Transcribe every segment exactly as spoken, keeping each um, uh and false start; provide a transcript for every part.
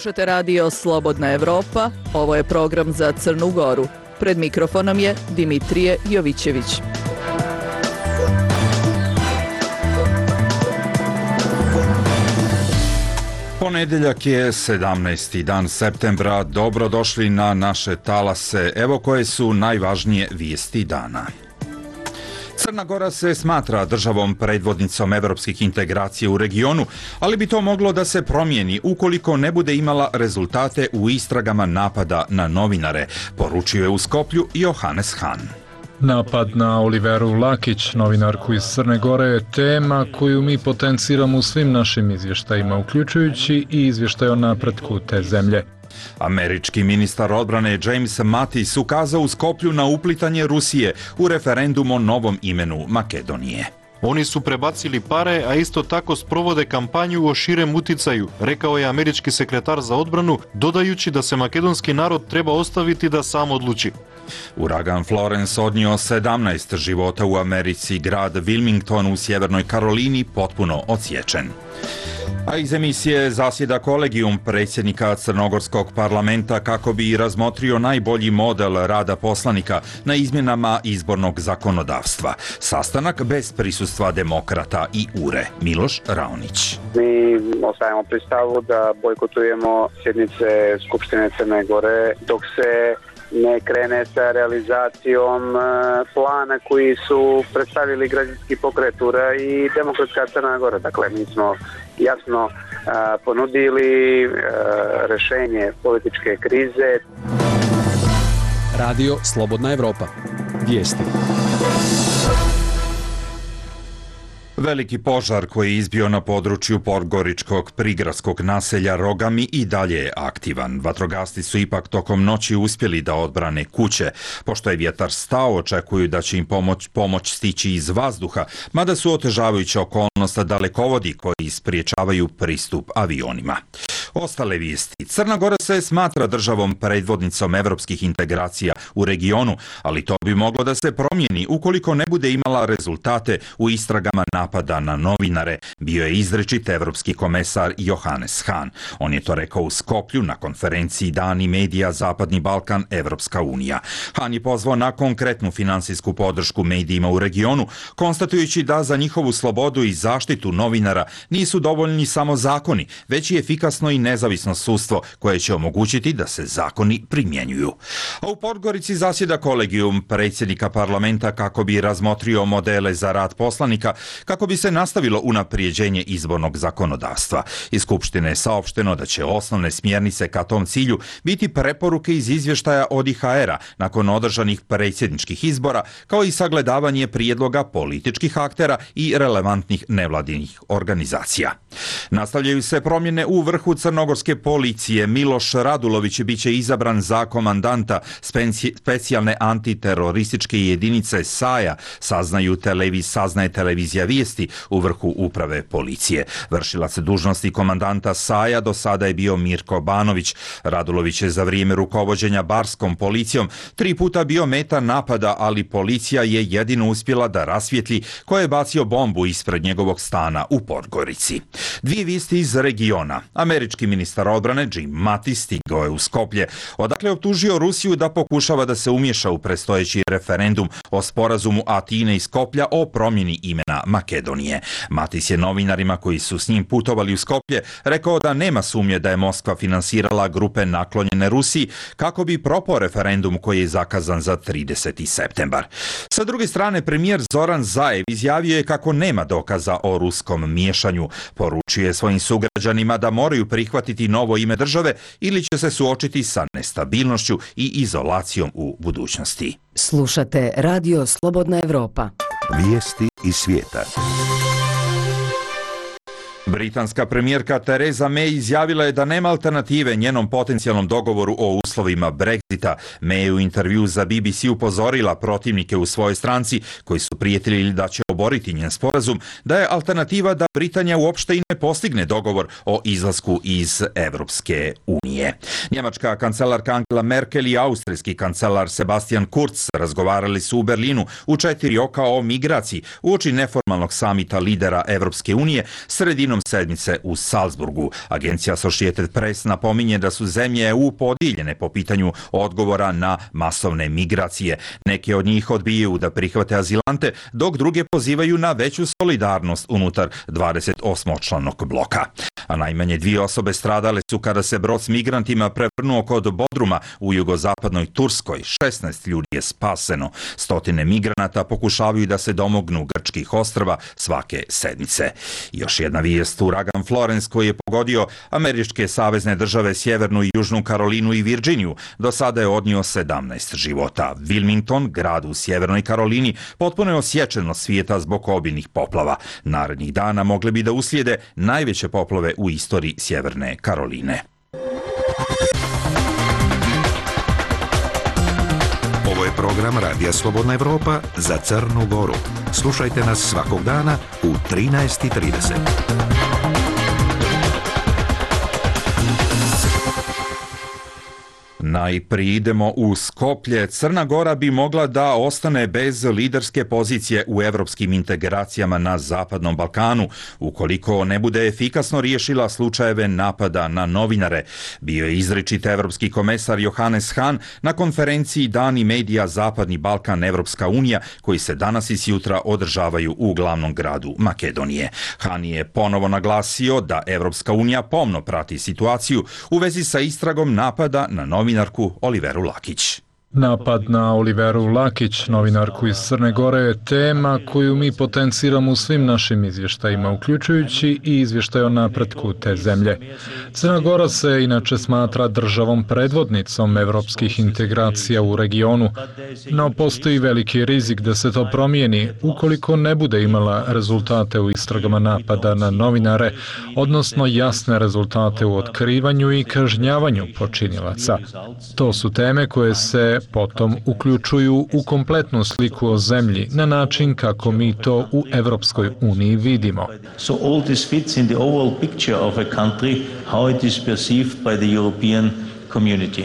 Slušate radio Slobodna Evropa, ovo je program za Crnu Goru. Pred mikrofonom je Dimitrije Jovićević. Ponedjeljak je sedamnaesti dan septembra. Dobrodošli na naše talase. Evo koje su najvažnije vijesti dana. Crna Gora se smatra državom predvodnicom evropskih integracija u regionu, ali bi to moglo da se promijeni ukoliko ne bude imala rezultate u istragama napada na novinare, poručio je u Skoplju Johannes Hahn. Napad na Oliveru Lakić, novinarku iz Crne Gore, je tema koju mi potenciramo u svim našim izvještajima, uključujući i izvještaj o napretku te zemlje. Američki ministar odbrane James Mattis ukazao u Skoplju na uplitanje Rusije u referendum o novom imenu Makedonije. Oni su prebacili pare, a isto tako sprovode kampanju o širem uticaju, rekao je američki sekretar za odbranu, dodajući da se makedonski narod treba ostaviti da sam odluči. Uragan Florence odnio sedamnaest života u Americi, grad Wilmington u Sjevernoj Karolini potpuno odsječen. A iz emisije zasjeda kolegijum predsjednika Crnogorskog parlamenta kako bi razmotrio najbolji model rada poslanika na izmjenama izbornog zakonodavstva. Sastanak bez prisustva demokrata i U R E. Miloš Raonić. Mi ostajemo pri stavu da bojkotujemo sjednice Skupštine Crne Gore dok se ne krene sa realizacijom plana koji su predstavili građanski pokret U R E i Demokratska Crna Gora. Dakle, mi smo jasno ponudili rješenje političke krize. Radio Slobodna Evropa. Vijesti. Veliki požar koji je izbio na području podgoričkog prigradskog naselja Rogami i dalje je aktivan. Vatrogasci su ipak tokom noći uspjeli da odbrane kuće. Pošto je vjetar stao, očekuju da će im pomoć, pomoć stići iz vazduha, mada su otežavajuća okolnost dalekovodi koji spriječavaju pristup avionima. Ostale vijesti. Crna Gora se smatra državom predvodnicom evropskih integracija u regionu, ali to bi moglo da se promijeni ukoliko ne bude imala rezultate u istragama napada na novinare, bio je izrečit evropski komesar Johannes Hahn. On je to rekao u Skoplju na konferenciji Dani medija Zapadni Balkan Evropska unija. Hahn je pozvao na konkretnu finansijsku podršku medijima u regionu, konstatujući da za njihovu slobodu i zaštitu novinara nisu dovoljni samo zakoni, već i efikasno i nezavisno sudstvo koje će omogućiti da se zakoni primjenjuju. A u Podgorici zasjeda kolegijum predsjednika parlamenta kako bi razmotrio modele za rad poslanika, kako bi se nastavilo unaprijeđenje izbornog zakonodavstva. Iz Skupštine je saopšteno da će osnovne smjernice ka tom cilju biti preporuke iz izvještaja od I H R-a nakon održanih predsjedničkih izbora, kao i sagledavanje prijedloga političkih aktera i relevantnih nevladinih organizacija. Nastavljaju se promjene u vrhu crnogorske policije. Miloš Radulović biće izabran za komandanta speci- specijalne antiterorističke jedinice S A J A, saznaju televiz, saznaje televizija Vijesti u vrhu uprave policije. Vršilac dužnosti komandanta S A J A do sada je bio Mirko Banović. Radulović je za vrijeme rukovođenja barskom policijom tri puta bio meta napada, ali policija je jedino uspjela da rasvijetli ko je bacio bombu ispred njegovog stana u Podgorici. Dvije vijesti iz regiona. Američki ministar odbrane Jim Mattis stigao je u Skoplje, odakle je optužio Rusiju da pokušava da se umješa u predstojeći referendum o sporazumu Atine i Skoplja o promjeni imena Makedonije. Mattis je novinarima koji su s njim putovali u Skoplje rekao da nema sumnje da je Moskva finansirala grupe naklonjene Rusiji kako bi propao referendum koji je zakazan za trideseti septembar. Sa druge strane, premijer Zoran Zaev izjavio je kako nema dokaza o ruskom miješanju. Poručio je svojim sugrađanima da moraju prihvatiti novo ime države ili će se suočiti sa nestabilnošću i izolacijom u budućnosti. Slušate Radio Slobodna Evropa. Vijesti iz svijeta. Britanska premijerka Theresa May izjavila je da nema alternative njenom potencijalnom dogovoru o uslovima Brexita. May je u intervju za B B C upozorila protivnike u svojoj stranci koji su prijetili da će oboriti njen sporazum, da je alternativa da Britanija uopšte i ne postigne dogovor o izlasku iz Evropske unije. Njemačka kancelarka Angela Merkel i austrijski kancelar Sebastian Kurz razgovarali su u Berlinu u četiri oka o migraciji uoči neformalnog samita lidera Evropske unije sredinom početkom sedmice u Salzburgu. Agencija Associated Press napominje da su zemlje E U podijeljene po pitanju odgovora na masovne migracije. Neke od njih odbijaju da prihvate azilante, dok druge pozivaju na veću solidarnost unutar dvadeset osmočlanog bloka. A najmanje dvije osobe stradale su kada se brod s migrantima prevrnuo kod Bodruma u jugozapadnoj Turskoj. šesnaest ljudi je spaseno. Stotine migranata pokušavaju da se domognu grčkih ostrva svake sedmice. Još jedna vijest, uragan Florence koji je pogodio američke savezne države Sjevernu i Južnu Karolinu i Virginiju. Do sada je odnio sedamnaest života. Wilmington, grad u Sjevernoj Karolini, potpuno je osječen od svijeta zbog obilnih poplava. Narednih dana mogle bi da uslijede najveće poplave u istoriji Sjeverne Karoline. Ovo je program Radija Slobodna Evropa za Crnu Goru. Slušajte nas svakog dana u trinaest i trideset. Najprije idemo u Skoplje. Crna Gora bi mogla da ostane bez liderske pozicije u evropskim integracijama na Zapadnom Balkanu, ukoliko ne bude efikasno riješila slučajeve napada na novinare. Bio je izričit evropski komesar Johannes Hahn na konferenciji Dani medija Zapadni Balkan Evropska unija, koji se danas i sjutra održavaju u glavnom gradu Makedonije. Hahn je ponovo naglasio da Evropska unija pomno prati situaciju u vezi sa istragom napada na novinare Oliveru Lakić. Napad na Oliveru Lakić, novinarku iz Crne Gore, je tema koju mi potenciramo u svim našim izvještajima, uključujući i izvještaj o napretku te zemlje. Crna Gora se inače smatra državom predvodnicom evropskih integracija u regionu, no postoji veliki rizik da se to promijeni ukoliko ne bude imala rezultate u istragama napada na novinare, odnosno jasne rezultate u otkrivanju i kažnjavanju počinilaca. To su teme koje se potom uključuju u kompletnu sliku o zemlji na način kako mi to u Evropskoj uniji vidimo. So all this fits in the overall picture of a country, how it is perceived by the European community.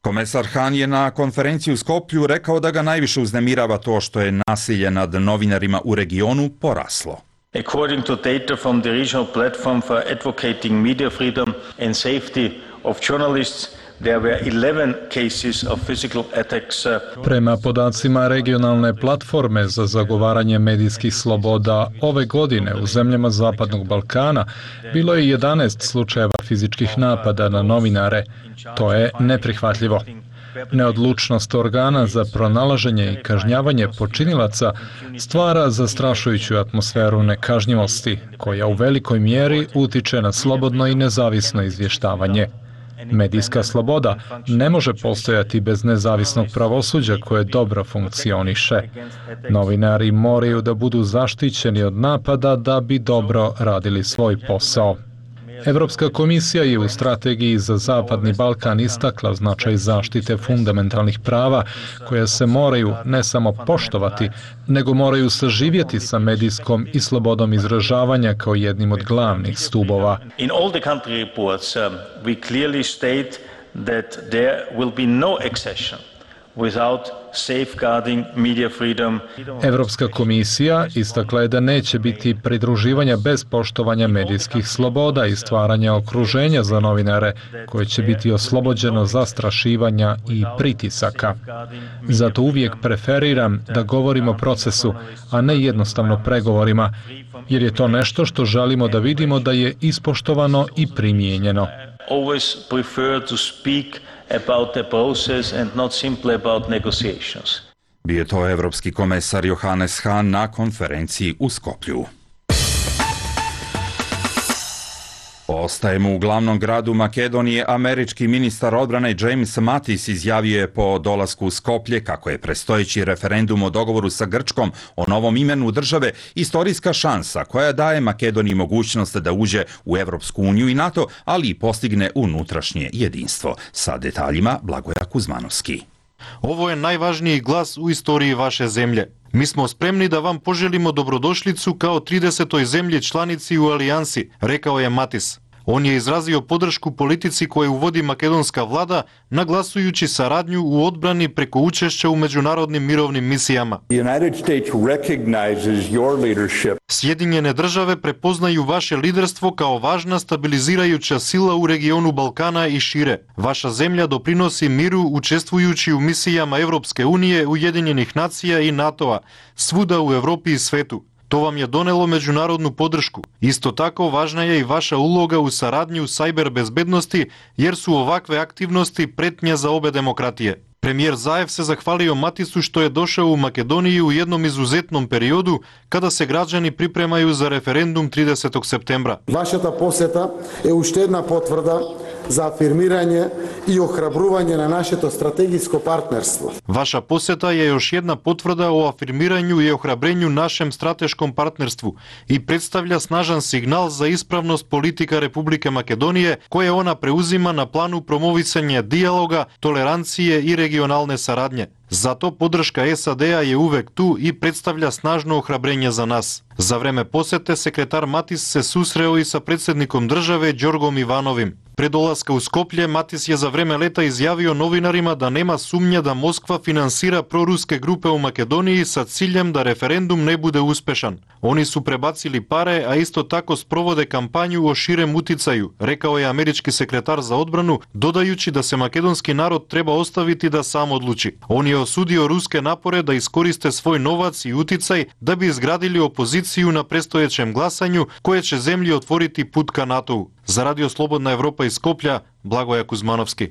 Komesar Hahn je na konferenciji u Skoplju rekao da ga najviše uznemirava to što je nasilje nad novinarima u regionu poraslo. According to data from the regional platform for advocating media freedom and safety of journalists, there were eleven cases of physical attacks. Prema podacima regionalne platforme za zagovaranje medijskih sloboda, ove godine u zemljama Zapadnog Balkana bilo je jedanaest slučajeva fizičkih napada na novinare. To je neprihvatljivo. Neodlučnost organa za pronalaženje i kažnjavanje počinilaca stvara zastrašujuću atmosferu nekažnjivosti, koja u velikoj mjeri utiče na slobodno i nezavisno izvještavanje. Medijska sloboda ne može postojati bez nezavisnog pravosuđa koje dobro funkcioniše. Novinari moraju da budu zaštićeni od napada da bi dobro radili svoj posao. Evropska komisija je u strategiji za Zapadni Balkan istakla značaj zaštite fundamentalnih prava koja se moraju ne samo poštovati, nego moraju saživjeti sa medijskom i slobodom izražavanja kao jednim od glavnih stubova. In all the country reports, um, we clearly state that there will be no accession without safeguarding media freedom. Evropska komisija istakla je da neće biti pridruživanja bez poštovanja medijskih sloboda i stvaranja okruženja za novinare koje će biti oslobođeno zastrašivanja i pritisaka. Zato uvijek preferiram da govorimo o procesu, a ne jednostavno pregovorima, jer je to nešto što želimo da vidimo da je ispoštovano i primijenjeno. Always prefer to speak about the process and not simply about negotiations. Bio je to evropski komesar Johannes Hahn na konferenciji u Skoplju. Ostajemo u glavnom gradu Makedonije. Američki ministar odbrane James Mattis izjavio je po dolasku u Skoplje kako je predstojeći referendum o dogovoru sa Grčkom o novom imenu države istorijska šansa koja daje Makedoniji mogućnost da uđe u Evropsku uniju i NATO, ali i postigne unutrašnje jedinstvo. Sa detaljima Blagoja Kuzmanovski. Ovo je najvažniji glas u istoriji vaše zemlje. Mi smo spremni da vam poželimo dobrodošlicu kao tridesetoj zemlji članici u alijansi, rekao je Mattis. On je izrazio podršku politici koju vodi makedonska vlada, naglasujući saradnju u odbrani preko učešća u međunarodnim mirovnim misijama. Sjedinjene države prepoznaju vaše liderstvo kao važna stabilizirajuća sila u regionu Balkana i šire. Vaša zemlja doprinosi miru učestvujući u misijama Evropske unije, Ujedinjenih nacija i NATO-a, svuda u Evropi i svetu. To vam je donelo međunarodnu podršku. Isto tako važna je i vaša uloga u saradnji u sajber bezbednosti, jer su ovakve aktivnosti pretnja za obe demokratije. Premijer Zaev se zahvalio Matisu što je došao u Makedoniju u jednom izuzetnom periodu kada se građani pripremaju za referendum tridesetog septembra. Вашата посета е уште една потврда за афирмирање и охрабрување на нашето стратегиско партнерство. Vaša poseta je još jedna potvrda o afirmiranju i ohrabrenju našem strateškom partnerstvu i predstavlja snažan signal za ispravnost politika Republike Makedonije koje ona preuzima na planu promovisanja dijaloga, tolerancije i regionalne saradnje. Zato podrška S A D-a je uvek tu i predstavlja snažno ohrabrenje za nas. Za vreme posete sekretar Matis se susreo i sa predsjednikom države Đorgom Ivanovim. Pred dolaska u Skoplje, Matis je za vreme leta izjavio novinarima da nema sumnje da Moskva finansira proruske grupe u Makedoniji sa ciljem da referendum ne bude uspešan. Oni su prebacili pare, a isto tako sprovode kampanju o širem uticaju, rekao je američki sekretar za odbranu, dodajući da se makedonski narod treba ostaviti da sam odluči. On je osudio ruske napore da iskoriste svoj novac i uticaj da bi izgradili opoziciju na predstojećem glasanju koje će zemlji otvoriti put ka NATO-u. Za Radio Slobodna Evropa iz Skoplja, Blagoja Kuzmanovski.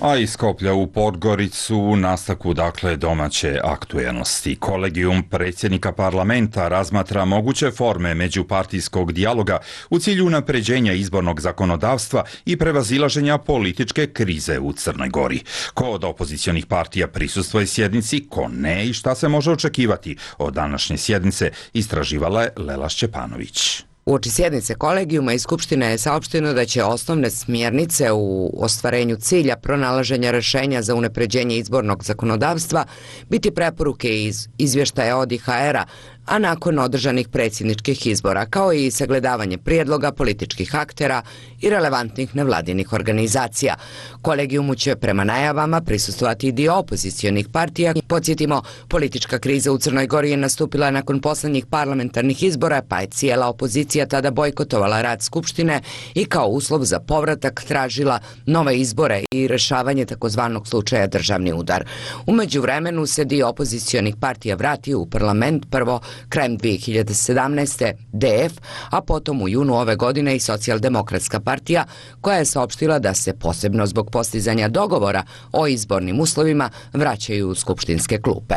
A iz Skoplja u Podgoricu u nastavku dakle domaće aktuelnosti. Kolegijum predsjednika parlamenta razmatra moguće forme međupartijskog dijaloga u cilju unapređenja izbornog zakonodavstva i prevazilaženja političke krize u Crnoj Gori. Ko od opozicionih partija prisustvuje sjednici, ko ne i šta se može očekivati od današnje sjednice, istraživala je Lela Šćepanović. Uoči sjednice kolegijuma i Skupštine je saopšteno da će osnovne smjernice u ostvarenju cilja pronalaženja rešenja za unapređenje izbornog zakonodavstva biti preporuke iz izvještaja od I H R-a, a nakon održanih predsjedničkih izbora, kao i sagledavanje prijedloga političkih aktera i relevantnih nevladinih organizacija. Kolegijumu će prema najavama prisustvovati i dio opozicionih partija. Podsjetimo, politička kriza u Crnoj Gori je nastupila nakon poslednjih parlamentarnih izbora, pa je cijela opozicija tada bojkotovala rad Skupštine i kao uslov za povratak tražila nove izbore i rešavanje takozvanog slučaja državni udar. U međuvremenu se dio opozicionih partija vratio u parlament, prvo krajem dvije hiljade sedamnaeste. D F, a potom u junu ove godine i Socijaldemokratska partija, koja je saopštila da se posebno zbog postizanja dogovora o izbornim uslovima vraćaju u skupštinske klupe.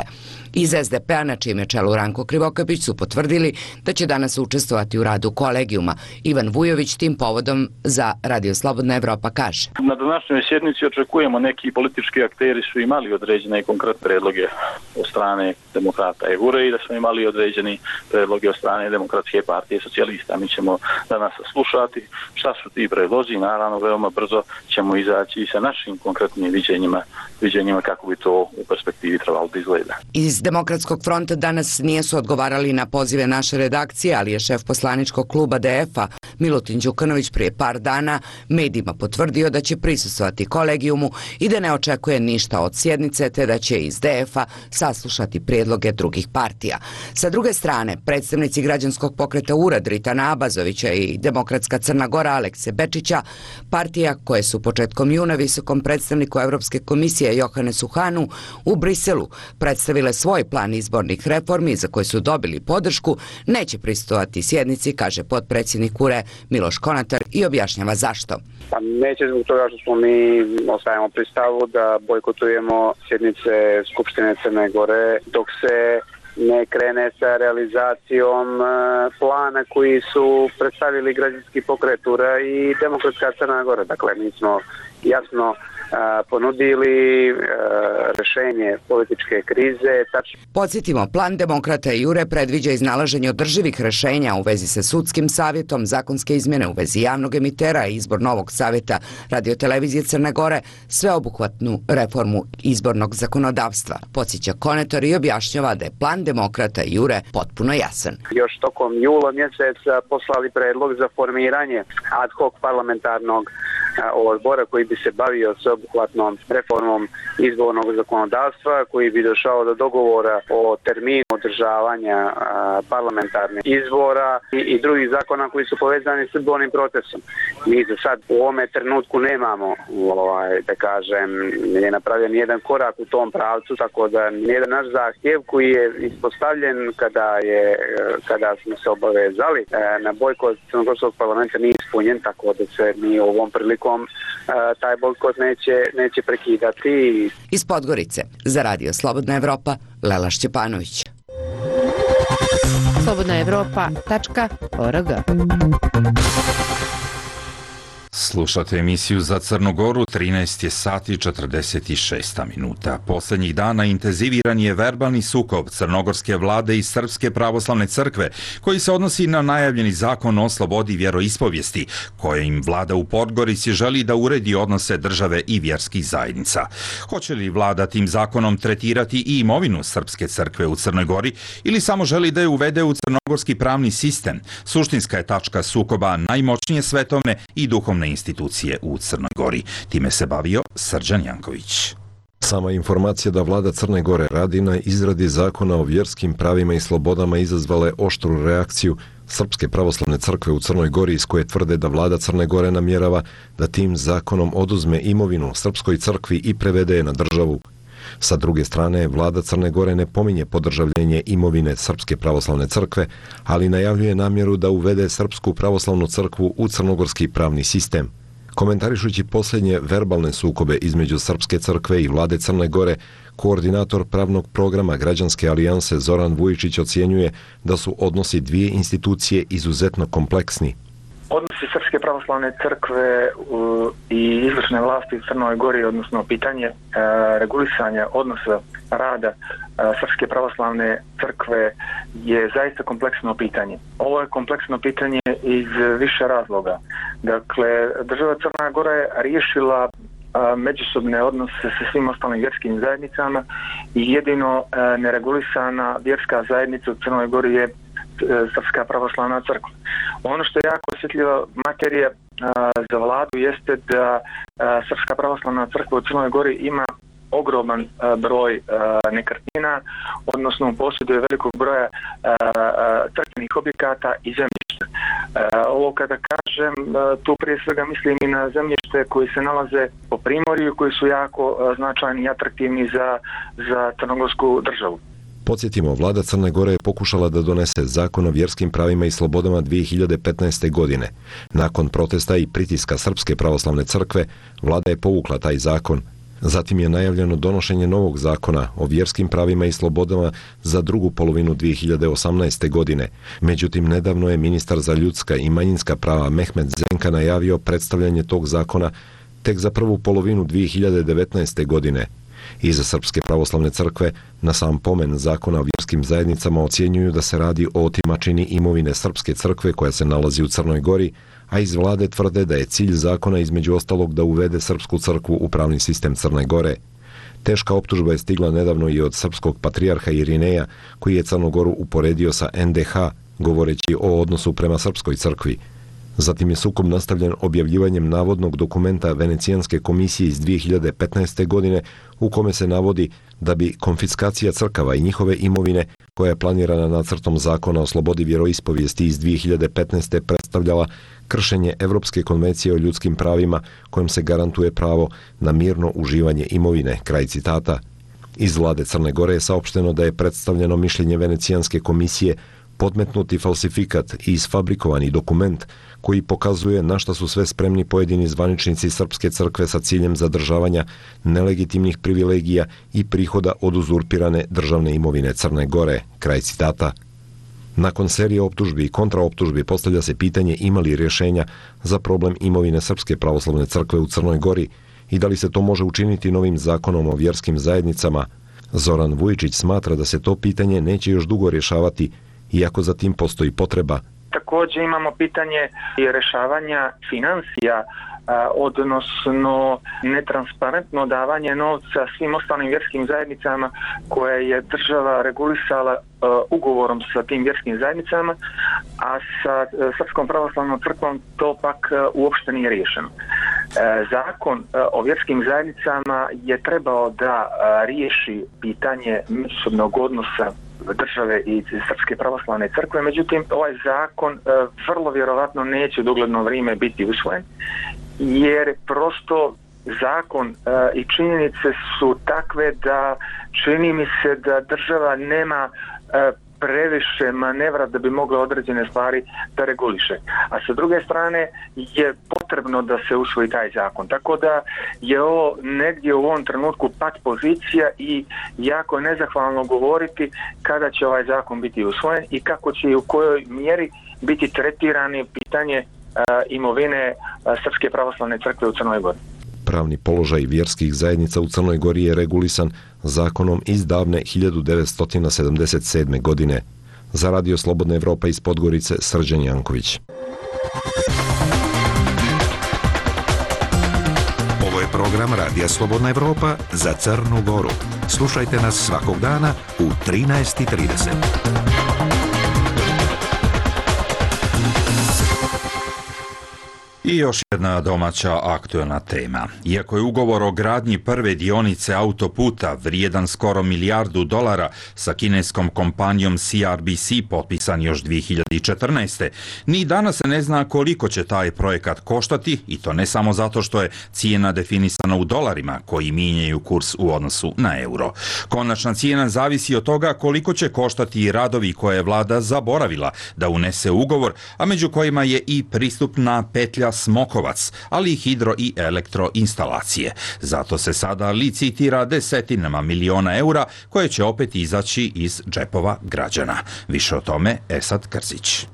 Iz S D P-a, na čijem je čelu Ranko Krivokapić, su potvrdili da će danas učestvovati u radu kolegijuma. Ivan Vujović tim povodom za Radio Slobodna Evropa kaže: Na današnjoj sjednici očekujemo neki politički akteri su imali određene i konkretne predloge od strane demokrata E G U R-a i da smo imali određeni predloge od strane Demokratske partije socijalista. Mi ćemo danas slušati šta su ti predlozi i naravno veoma brzo ćemo izaći sa našim konkretnim viđenjima, viđenjima kako bi to u perspektivi trebalo da izgleda. Iz Demokratskog fronta danas nijesu odgovarali na pozive naše redakcije, ali je šef poslaničkog kluba D F-a Milutin Đukanović prije par dana medijima potvrdio da će prisustvovati kolegijumu i da ne očekuje ništa od sjednice, te da će iz D F-a saslušati prijedloge drugih partija. Sa druge strane, predstavnici građanskog pokreta Ured Ritana Abazovića i Demokratska Crna Gora Alekse Bečića, partija koje su početkom juna visokom predstavniku Evropske komisije Johanesu Hanu u Briselu predstavile svoj plan izbornih reformi za koje su dobili podršku, neće prisustvovati sjednici, kaže potpredsjednik U R E Miloš Konatar i objašnjava zašto. Pa neće zbog toga što smo mi ostajemo pri stavu da bojkotujemo sjednice Skupštine Crne Gore dok se ne krene sa realizacijom plana koji su predstavili građanski pokret U R E i Demokratska Crna Gora. Dakle, mi smo jasno ponudili rešenje političke krize. Podsjetimo, plan Demokrata i Jure predviđa iznalaženje održivih rešenja u vezi sa sudskim savjetom, zakonske izmjene u vezi javnog emitera i izbor novog savjeta radiotelevizije Crne Gore, sveobuhvatnu reformu izbornog zakonodavstva. Podsjeća Konetor i objašnjava da je plan Demokrata i Jure potpuno jasan. Još tokom jula mjeseca poslali predlog za formiranje ad hoc parlamentarnog odbora koji bi se bavio sveobuhvatnom reformom izbornog zakonodavstva, koji bi došao do dogovora o terminu održavanja parlamentarnih izbora i, i drugih zakona koji su povezani s izbornim procesom. Mi za sad u ovome trenutku nemamo, ovaj, da kažem, nije napravljen nijedan korak u tom pravcu, tako da nijedan naš zahtjev koji je ispostavljen kada je kada smo se obavezali na bojkot crnogorskog parlamenta nije ispunjen, tako da se mi ovom prilikom taj bojkot neće, neće prekidati. Iz Podgorice, za Radio Slobodna Evropa, Lela Šćepanović. slobodna evropa tačka org. Slušate emisiju za Crnu Goru, trinaest je sati četrdeset šest minuta. Posljednjih dana intenziviran je verbalni sukob crnogorske vlade i Srpske pravoslavne crkve, koji se odnosi na najavljeni zakon o slobodi vjeroispovijesti, kojim vlada u Podgorici želi da uredi odnose države i vjerskih zajednica. Hoće li vlada tim zakonom tretirati i imovinu Srpske crkve u Crnoj Gori ili samo želi da je uvede u crnogorski pravni sistem? Suštinska je tačka sukoba najmoćnije svetovne i duhovne institucije u Crnoj Gori. Time se bavio Srđan Janković. Sama informacija da vlada Crne Gore radi na izradi zakona o vjerskim pravima i slobodama izazvala je oštru reakciju Srpske pravoslavne crkve u Crnoj Gori, iz koje tvrde da vlada Crne Gore namjerava da tim zakonom oduzme imovinu Srpskoj crkvi i prevede je na državu. Sa druge strane, vlada Crne Gore ne pominje podržavljenje imovine Srpske pravoslavne crkve, ali najavljuje namjeru da uvede Srpsku pravoslavnu crkvu u crnogorski pravni sistem. Komentarišući posljednje verbalne sukobe između Srpske crkve i vlade Crne Gore, koordinator pravnog programa Građanske alijanse Zoran Vujičić ocjenjuje da su odnosi dvije institucije izuzetno kompleksni. Odnosi Srpske pravoslavne crkve i izvršne vlasti u Crnoj Gori, odnosno pitanje regulisanja odnosa rada Srpske pravoslavne crkve je zaista kompleksno pitanje. Ovo je kompleksno pitanje iz više razloga. Dakle, država Crna Gora je riješila međusobne odnose sa svim ostalim vjerskim zajednicama i jedino neregulisana vjerska zajednica u Crnoj Gori je Srpska pravoslavna crkva. Ono što je jako osjetljiva materija a, za vladu jeste da a, Srpska pravoslavna crkva u Crnoj Gori ima ogroman a, broj a, nekretnina, odnosno posjeduje velikog broja a, a, crkvenih objekata i zemljišta. A, ovo kada kažem, a, tu prije svega mislim i na zemljište koji se nalaze po primorju, koji su jako a, značajni i atraktivni za, za crnogorsku državu. Podsjetimo, vlada Crne Gore je pokušala da donese zakon o vjerskim pravima i slobodama dvije hiljade petnaeste. godine. Nakon protesta i pritiska Srpske pravoslavne crkve, vlada je povukla taj zakon. Zatim je najavljeno donošenje novog zakona o vjerskim pravima i slobodama za drugu polovinu dvije hiljade osamnaeste. godine. Međutim, nedavno je ministar za ljudska i manjinska prava Mehmet Zenka najavio predstavljanje tog zakona tek za prvu polovinu dvije hiljade devetnaeste. godine. Iza Srpske pravoslavne crkve na sam pomen zakona o vjerskim zajednicama ocjenjuju da se radi o otimačini imovine Srpske crkve koja se nalazi u Crnoj Gori, a iz vlade tvrde da je cilj zakona između ostalog da uvede Srpsku crkvu u pravni sistem Crne Gore. Teška optužba je stigla nedavno i od srpskog patrijarha Irineja, koji je Crnu Goru uporedio sa en de ha, govoreći o odnosu prema Srpskoj crkvi. Zatim je sukob nastavljen objavljivanjem navodnog dokumenta Venecijanske komisije iz dvije hiljade petnaeste. godine u kome se navodi da bi konfiskacija crkava i njihove imovine, koja je planirana nacrtom zakona o slobodi vjeroispovijesti iz dvije hiljade petnaeste. predstavljala kršenje Evropske konvencije o ljudskim pravima kojom se garantuje pravo na mirno uživanje imovine. Kraj citata. Iz vlade Crne Gore je saopšteno da je predstavljeno mišljenje Venecijanske komisije podmetnuti falsifikat i isfabrikovani dokument koji pokazuje na šta su sve spremni pojedini zvaničnici Srpske crkve sa ciljem zadržavanja nelegitimnih privilegija i prihoda od uzurpirane državne imovine Crne Gore. Kraj citata. Nakon serije optužbi i kontraoptužbi postavlja se pitanje ima li rješenja za problem imovine Srpske pravoslavne crkve u Crnoj Gori i da li se to može učiniti novim zakonom o vjerskim zajednicama, Zoran Vujičić smatra da se to pitanje neće još dugo rješavati, iako za tim postoji potreba. Također imamo pitanje rješavanja financija, odnosno netransparentno davanje novca svim ostalim vjerskim zajednicama koje je država regulisala ugovorom sa tim vjerskim zajednicama, a sa Srpskom pravoslavnom crkvom to pak uopšte nije riješeno. Zakon o vjerskim zajednicama je trebao da riješi pitanje međusobnog odnosa države i Srpske pravoslavne crkve, međutim ovaj zakon vrlo vjerovatno neće u dogledno vrijeme biti usvojen, jer prosto zakon i činjenice su takve da čini mi se da država nema previše manevra da bi mogla određene stvari da reguliše. A sa druge strane je potrebno da se usvoji taj zakon. Tako da je ovo negdje u ovom trenutku pat pozicija i jako je nezahvalno govoriti kada će ovaj zakon biti usvojen i kako će i u kojoj mjeri biti tretirani pitanje uh, imovine uh, Srpske pravoslavne crkve u Crnoj Gori. Pravni položaj vjerskih zajednica u Crnoj Gori je regulisan zakonom iz davne hiljadu devetsto sedamdeset sedme. godine. Za Radio Slobodna Evropa iz Podgorice, Srđan Janković. Ovo je program Radija Slobodna Evropa za Crnu Goru. Slušajte nas svakog dana u trinaest i trideset. I još jedna domaća aktualna tema. Iako je ugovor o gradnji prve dionice autoputa vrijedan skoro milijardu dolara sa kineskom kompanijom C R B C potpisan još dvije hiljade četrnaeste. Ni danas se ne zna koliko će taj projekat koštati, i to ne samo zato što je cijena definisana u dolarima koji mijenjaju kurs u odnosu na euro. Konačna cijena zavisi od toga koliko će koštati i radovi koje je vlada zaboravila da unese u ugovor, a među kojima je i pristupna petlja Smokovac, ali i hidro i elektroinstalacije. Zato se sada licitira desetinama miliona eura koje će opet izaći iz džepova građana. Više o tome Esad Krzić.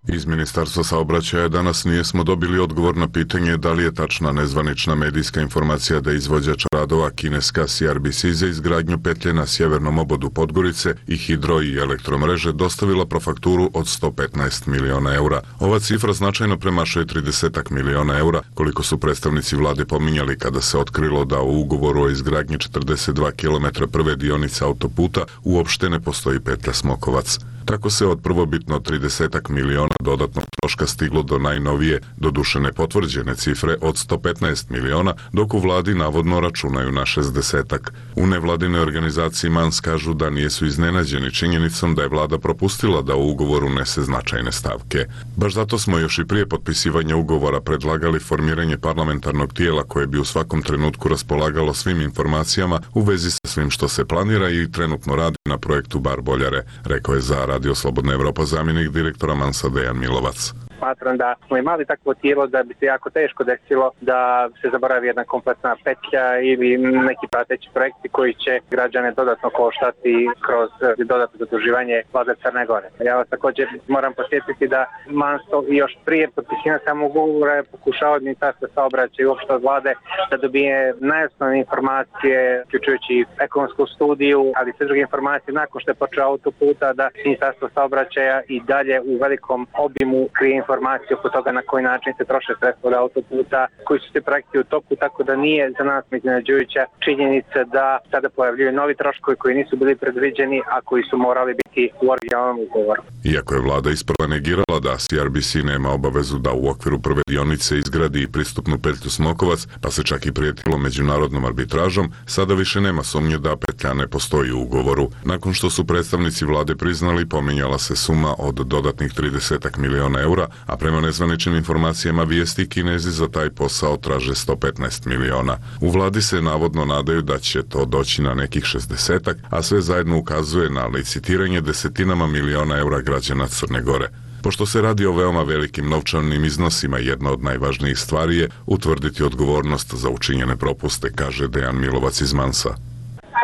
Iz Ministarstva saobraćaja danas nijesmo dobili odgovor na pitanje da li je tačna nezvanična medijska informacija da izvođač radova kineska C R B C za izgradnju petlje na sjevernom obodu Podgorice i hidro i elektromreže dostavila profakturu od sto petnaest miliona eura. Ova cifra značajno premašuje trideset miliona eura, koliko su predstavnici vlade pominjali kada se otkrilo da u ugovoru o izgradnji četrdeset dva kilometra prve dionice autoputa uopšte ne postoji petlja Smokovac. Tako se od prvobitno trideset miliona dodatnog troška stiglo do najnovije, doduše nepotvrđene cifre od sto petnaest miliona, dok u vladi navodno računaju na šezdesetak. U nevladine organizaciji Mans kažu da nijesu iznenađeni činjenicom da je vlada propustila da u ugovoru unese značajne stavke. Baš zato smo još i prije potpisivanja ugovora predlagali formiranje parlamentarnog tijela koje bi u svakom trenutku raspolagalo svim informacijama u vezi sa svim što se planira i trenutno radi na projektu Bar Boljare, rekao je za Radio Slobodna Evropa zamjenik direktora Mansa Dejan Milovac. Smatram da smo imali takvo tijelo da bi se jako teško desilo da se zaboravi jedna kompletna petlja ili neki prateći projekti koji će građane dodatno koštati kroz dodatno zaduživanje vlade Crne Gore. Ja vas također moram posjetiti da Mansto još prije potpisivanja samog ugovora je pokušao od Ministarstva saobraćaja i uopšte od vlade da dobije najosnovne informacije, uključujući ekonomsku studiju, ali sve druge informacije nakon što je počeo autoputa, da Ministarstvo saobraćaja i dalje u velikom obimu krije informacije oko toga na koji način se troše sredstva od autoputa, koji su se projekti u toku, tako da nije za nas iznenađujuća činjenica da sada pojavljuju novi troškovi koji nisu bili predviđeni, a koji su morali biti u originalnom ugovoru. Iako je vlada isprva negirala da C R B C nema obavezu da u okviru prve dionice izgradi pristupnu petlju Smokovac, pa se čak i prijetilo međunarodnom arbitražom, sada više nema sumnje da petlja ne postoji u ugovoru. Nakon što su predstavnici vlade priznali, pominjala se suma od dodatnih trideset miliona eura, a prema nezvaničnim informacijama vijesti Kinezi za taj posao traže sto petnaest miliona. U vladi se navodno nadaju da će to doći na nekih šezdesetak, a sve zajedno ukazuje na licitiranje desetinama miliona eura građana Crne Gore. Pošto se radi o veoma velikim novčanim iznosima, jedna od najvažnijih stvari je utvrditi odgovornost za učinjene propuste, kaže Dejan Milovac iz Mansa.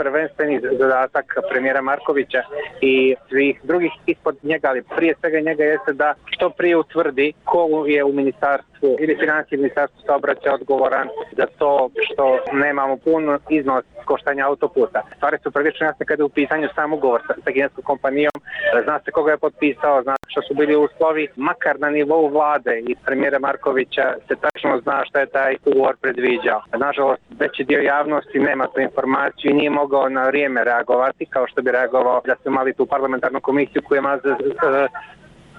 prvenstveni zadatak premijera Markovića i svih drugih ispod njega, ali prije svega njega jeste da što prije utvrdi ko je u ministarstvu ili financije ministarstvu saobraćaja odgovoran za to što nemamo pun iznos koštanja autoputa. Stvari su prilično jasne kada je u pitanju sam ugovor sa, sa kineskom kompanijom, zna se koga je potpisao, zna što su bili uslovi, makar na nivou vlade i premijera Markovića se tačno zna šta je taj ugovor predviđao. Nažalost, veći dio javnosti nema tu informaciju i nije mogao na vrijeme reagovati kao što bi reagovao da smo imali tu parlamentarnu komisiju koja ima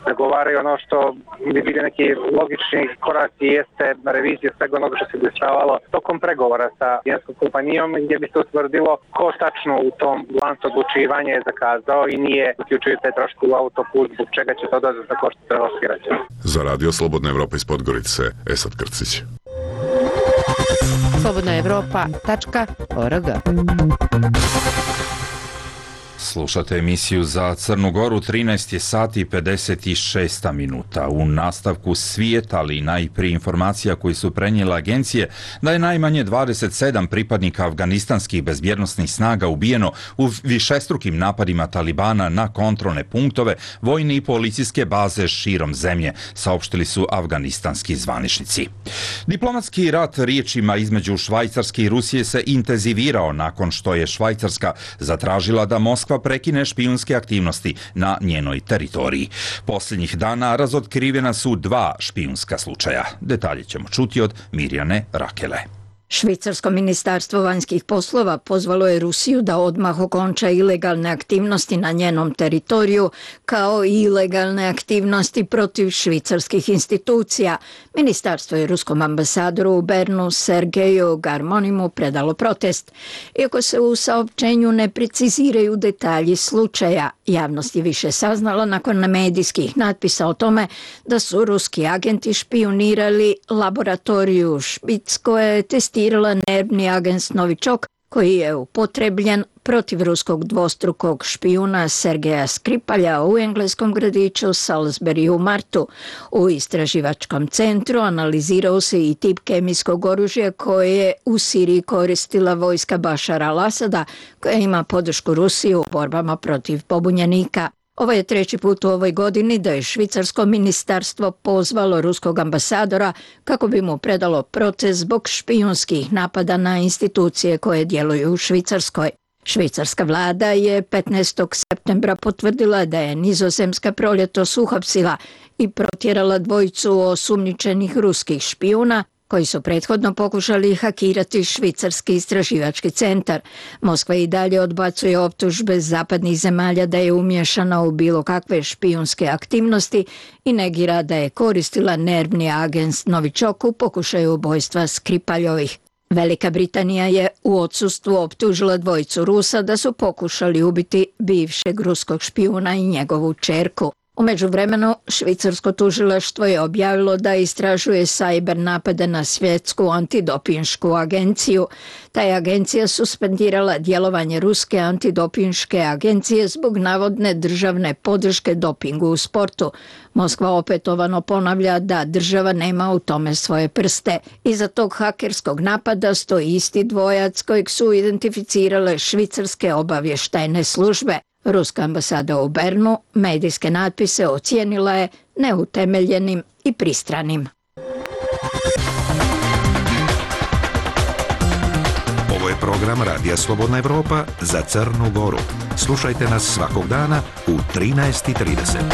zagovaraju ono što bi bili neki logični koraci, jeste revizija svega onoga što se dešavalo tokom pregovora sa kineskom kompanijom gdje bi se utvrdilo ko tačno u tom lancu odlučivanja je zakazao i nije uključuju te troške u autoput, zbog čega će to dodatno koštati hrvatski građani. Za Radio Slobodna Evropa iz Podgorice, Esad Krcić. slobodna evropa tačka org. Slušate emisiju za Crnu Goru, trinaest je sati i pedeset šest minuta. U nastavku svijeta, ali najprije informacija koji su prenijele agencije, da je najmanje dvadeset sedam pripadnika afganistanskih bezbjednosnih snaga ubijeno u višestrukim napadima Talibana na kontrolne punktove, vojne i policijske baze širom zemlje, saopštili su afganistanski zvaničnici. Diplomatski rat riječima između Švajcarske i Rusije se intenzivirao nakon što je Švajcarska zatražila da Moskva prekine špijunske aktivnosti na njenoj teritoriji. Posljednjih dana razotkrivena su dva špijunska slučaja. Detalje ćemo čuti od Mirjane Rakele. Švicarsko ministarstvo vanjskih poslova pozvalo je Rusiju da odmah okonča ilegalne aktivnosti na njenom teritoriju, kao i ilegalne aktivnosti protiv švicarskih institucija. Ministarstvo je ruskom ambasadoru u Bernu Sergeju Garmonimu predalo protest. Iako se u saopćenju ne preciziraju detalji slučaja, javnost je više saznala nakon medijskih natpisa o tome da su ruski agenti špijunirali laboratoriju Špic koja je testirala nervni agens Novičok koji je upotrebljen protiv ruskog dvostrukog špijuna Sergeja Skripalja u engleskom gradiću Salisbury u martu. U istraživačkom centru analizirao se i tip kemijskog oružja koje je u Siriji koristila vojska Bašara al-Asada, koja ima podršku Rusije u borbama protiv pobunjenika. Ovo je treći put u ovoj godini da je švicarsko ministarstvo pozvalo ruskog ambasadora kako bi mu predalo protest zbog špijunskih napada na institucije koje djeluju u Švicarskoj. Švicarska vlada je petnaestog septembra potvrdila da je Nizozemska proljetos uhapsila i protjerala dvojicu osumnjičenih ruskih špijuna koji su prethodno pokušali hakirati švicarski istraživački centar. Moskva i dalje odbacuje optužbe zapadnih zemalja da je umješana u bilo kakve špijunske aktivnosti i negira da je koristila nervni agens Novičok u pokušaju ubojstva Skripaljovih. Velika Britanija je u odsustvu optužila dvojicu Rusa da su pokušali ubiti bivšeg ruskog špijuna i njegovu ćerku. U međuvremenu, švicarsko tužilaštvo je objavilo da istražuje sajber napade na svjetsku antidopinšku agenciju. Ta je agencija suspendirala djelovanje ruske antidopinške agencije zbog navodne državne podrške dopingu u sportu. Moskva opetovano ponavlja da država nema u tome svoje prste. Iza tog hakerskog napada stoji isti dvojac kojeg su identificirale švicarske obavještajne službe. Ruska ambasada u Bernu medijske natpise ocijenila je neutemeljenim i pristranim. Ovo je program Radija Slobodna Evropa za Crnu Goru. Slušajte nas svakog dana u trinaest i trideset.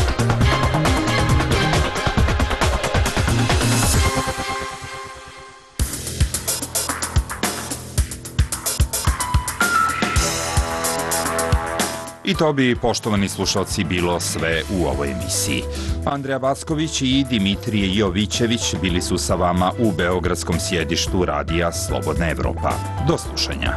I to bi, poštovani slušalci, bilo sve u ovoj emisiji. Andreja Backović i Dimitrije Jovićević bili su sa vama u beogradskom sjedištu Radija Slobodna Evropa. Do slušanja.